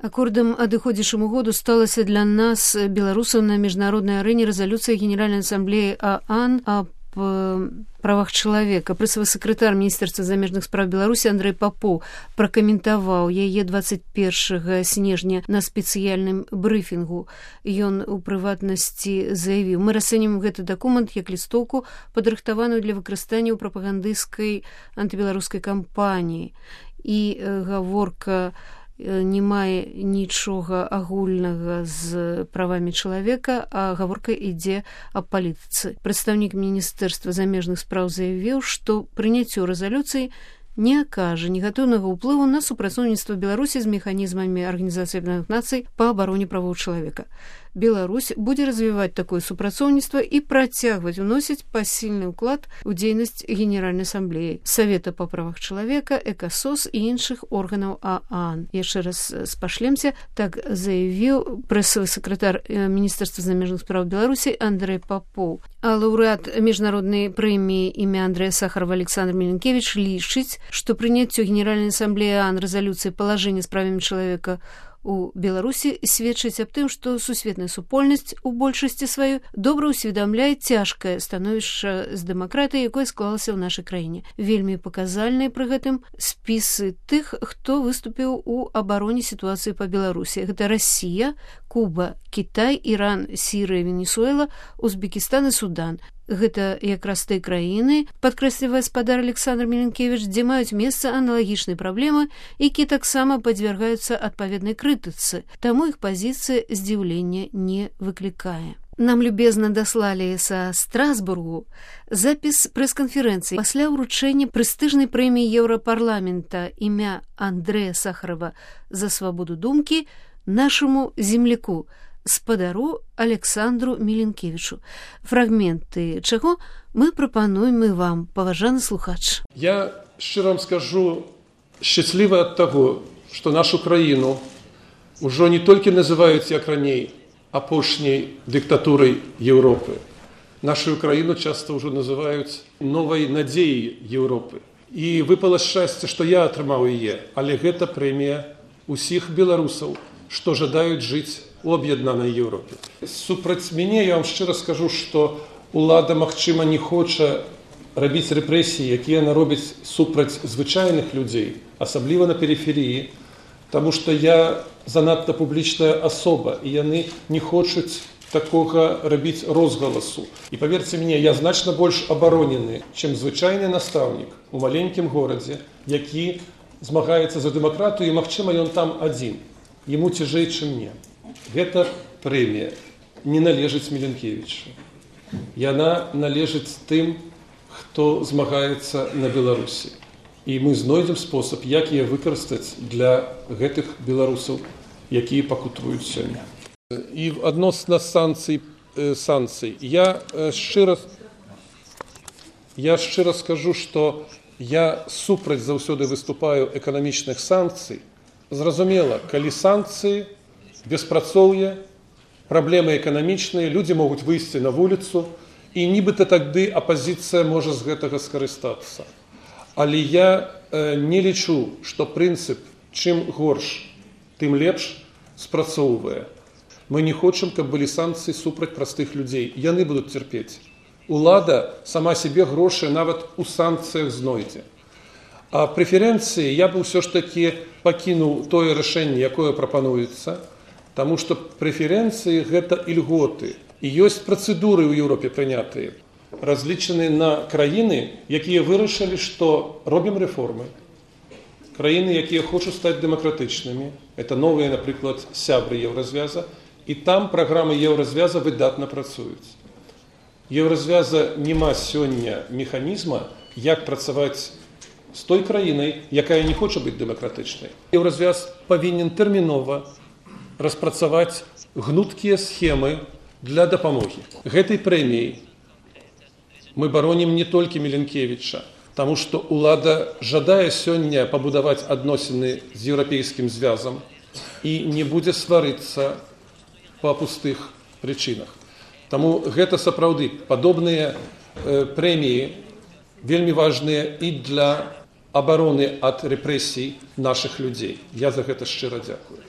Акордам адыходзячаму году сталася для нас, беларусаў, на міжнароднай арэне рэзалюцыя Генеральнай Ассамблеі ААН аб правах чалавека. Прэсавы сакратар Міністэрства замежных спраў Беларусі Андрэй Папоў пракаментаваў яе 21 снежня на спецыяльным брыфінгу. Ён у прыватнасці заявіў: «Мы расцэньваем гэты дакумент як лістоўку, падрыхтаваную для выкарыстання ў прапагандысцкай антыбеларускай кампаніі». І гаворка не мае нічога агульнага з правамі чалавека, а гаворка ідзе аб палітыцы. Прадстаўнік Міністэрства замежных спраў заявіў, што прыняццё рэзалюцыі не акажа негатыўнага ўплыву на супрацоўніцтва Беларусі з механізмамі Арганізацыі Аб'яднаных Нацый па абароне правоў чалавека. Беларусь будзе развіваць такое супрацоўніцтва і працягваць уносіць пасільны ўклад у дзейнасць Генеральнай Ассамблеі, Савета па правах чалавека, ЭКАСОС і іншых органаў ААН. Яшчэ раз спашлемся, так заявіў прэсавы сакратар Міністэрства замежных спраў Беларусі Андрэй Папоў. А лаўрэат міжнароднай прэміі імя Андрэя Сахарова Александр Міленкевіч лічыць, што прыняццё Генеральнай Ассамблеі ААН рэзалюцыі палажэння з правамі чалавека у Беларусі сведчыць аб тым, што сусветная супольнасць у большасці сваёй добра ўсведамляе цяжкае становішча з дэмакратыяй, якое склалася ў нашай краіне. Вельмі паказальныя пры гэтым спісы тых, хто выступіў у абароне сітуацыі па Беларусі. Гэта Расія, Куба, Кітай, Іран, Сірыя, Венесуэла, Узбекістан і Судан. Гэта якраз тыя краіны, падкрэслівае спадар Александр Міленкевіч, дзе маюць месца аналагічныя праблемы, якія таксама падвяргаюцца адпаведнай крытыцы, таму іх пазіцыя здзіўлення не выклікае. Нам любезна даслалі са Страсбургу запіс прэс-канферэнцыі пасля ўручэння прэстыжнай прэміі Еўрапарламента імя Андрэя Сахарова за свабоду думкі нашаму земляку, спадару Александру Міленкевічу. Фрагменты чаго мы прапануем і вам, паважаны слухач. Я шчыра вам скажу, шчаслівы ад таго, што нашу краіну ўжо не толькі называюць, як раней, апошняй дыктатурай Еўропы. Нашу краіну часта ўжо называюць новай надзеяй Еўропы. І выпала шчасце, што я атрымаў яе, але гэта прэмія усіх беларусаў, што жадаюць жыць у аб'яднанай Еўропе. Супраць мяне я вам шчыра скажу, што ўлада, магчыма, не хоча рабіць рэпрэсіі, якія яна робіць супраць звычайных людзей, асабліва на перыферыі, таму што я занадта публічная асоба, і яны не хочуць такога рабіць розгаласу. І паверце мне, я значна больш абаронены, чым звычайны настаўнік у маленькім горадзе, які змагаецца за дэмакратыю, і, магчыма, ён там адзін. Яму цяжэй, чым мне. Гэта прэмія не належыць Міленкевічу. Яна належыць тым, хто змагаецца на Беларусі. І мы знойдзем спосаб, як яе выкарыстаць для гэтых беларусаў, якія пакутуюць сёння. І адносна санкцый, я шчыра скажу, што я супраць заўсёды выступаю эканамічных санкцый. Зразумела, калі санкцыі, беспрацоўе, праблемы эканамічныя, людзі могуць выйсці на вуліцу, і нібыта тады апазіцыя можа з гэтага скарыстацца. Але я не лічу, што прынцып чым горш, тым лепш спрацоўвае. Мы не хочам, каб былі санкцыі супраць простых людзей. Яны будуць цярпець. Улада сама сябе грошы нават у санкцыях знойдзе. А прэферэнцыі я б ўсё ж такі пакінуў тое рашэнне, якое прапануецца, таму што прэферэнцыі гэта ільготы. І ёсць працэдуры ў Еўропе прынятыя, разлічаныя на краіны, якія вырашылі, што робім рэформы. Краіны, якія хочуць стаць дэмакратычнымі. Это новыя, напрыклад, сябры Еўразвяза. І там праграмы Еўразвяза выдатна працуюць. Еўразвяза няма сёння механізма, як працаваць з той краінай, якая не хоча быць дэмакратычнай. Еўразвяз павінен тэрмінова распрацаваць гнуткія схемы для дапамогі. Гэтай прэміяй мы баронім не толькі Міленкевіча, таму што ўлада жадае сёння пабудаваць адносіны з еўрапейскім звязам і не будзе сварыцца па пустых прычынах. Таму гэта сапраўды падобныя прэміі вельмі важныя і для абароны ад рэпрэсій нашых людзей. Я за гэта шчыра дзякую.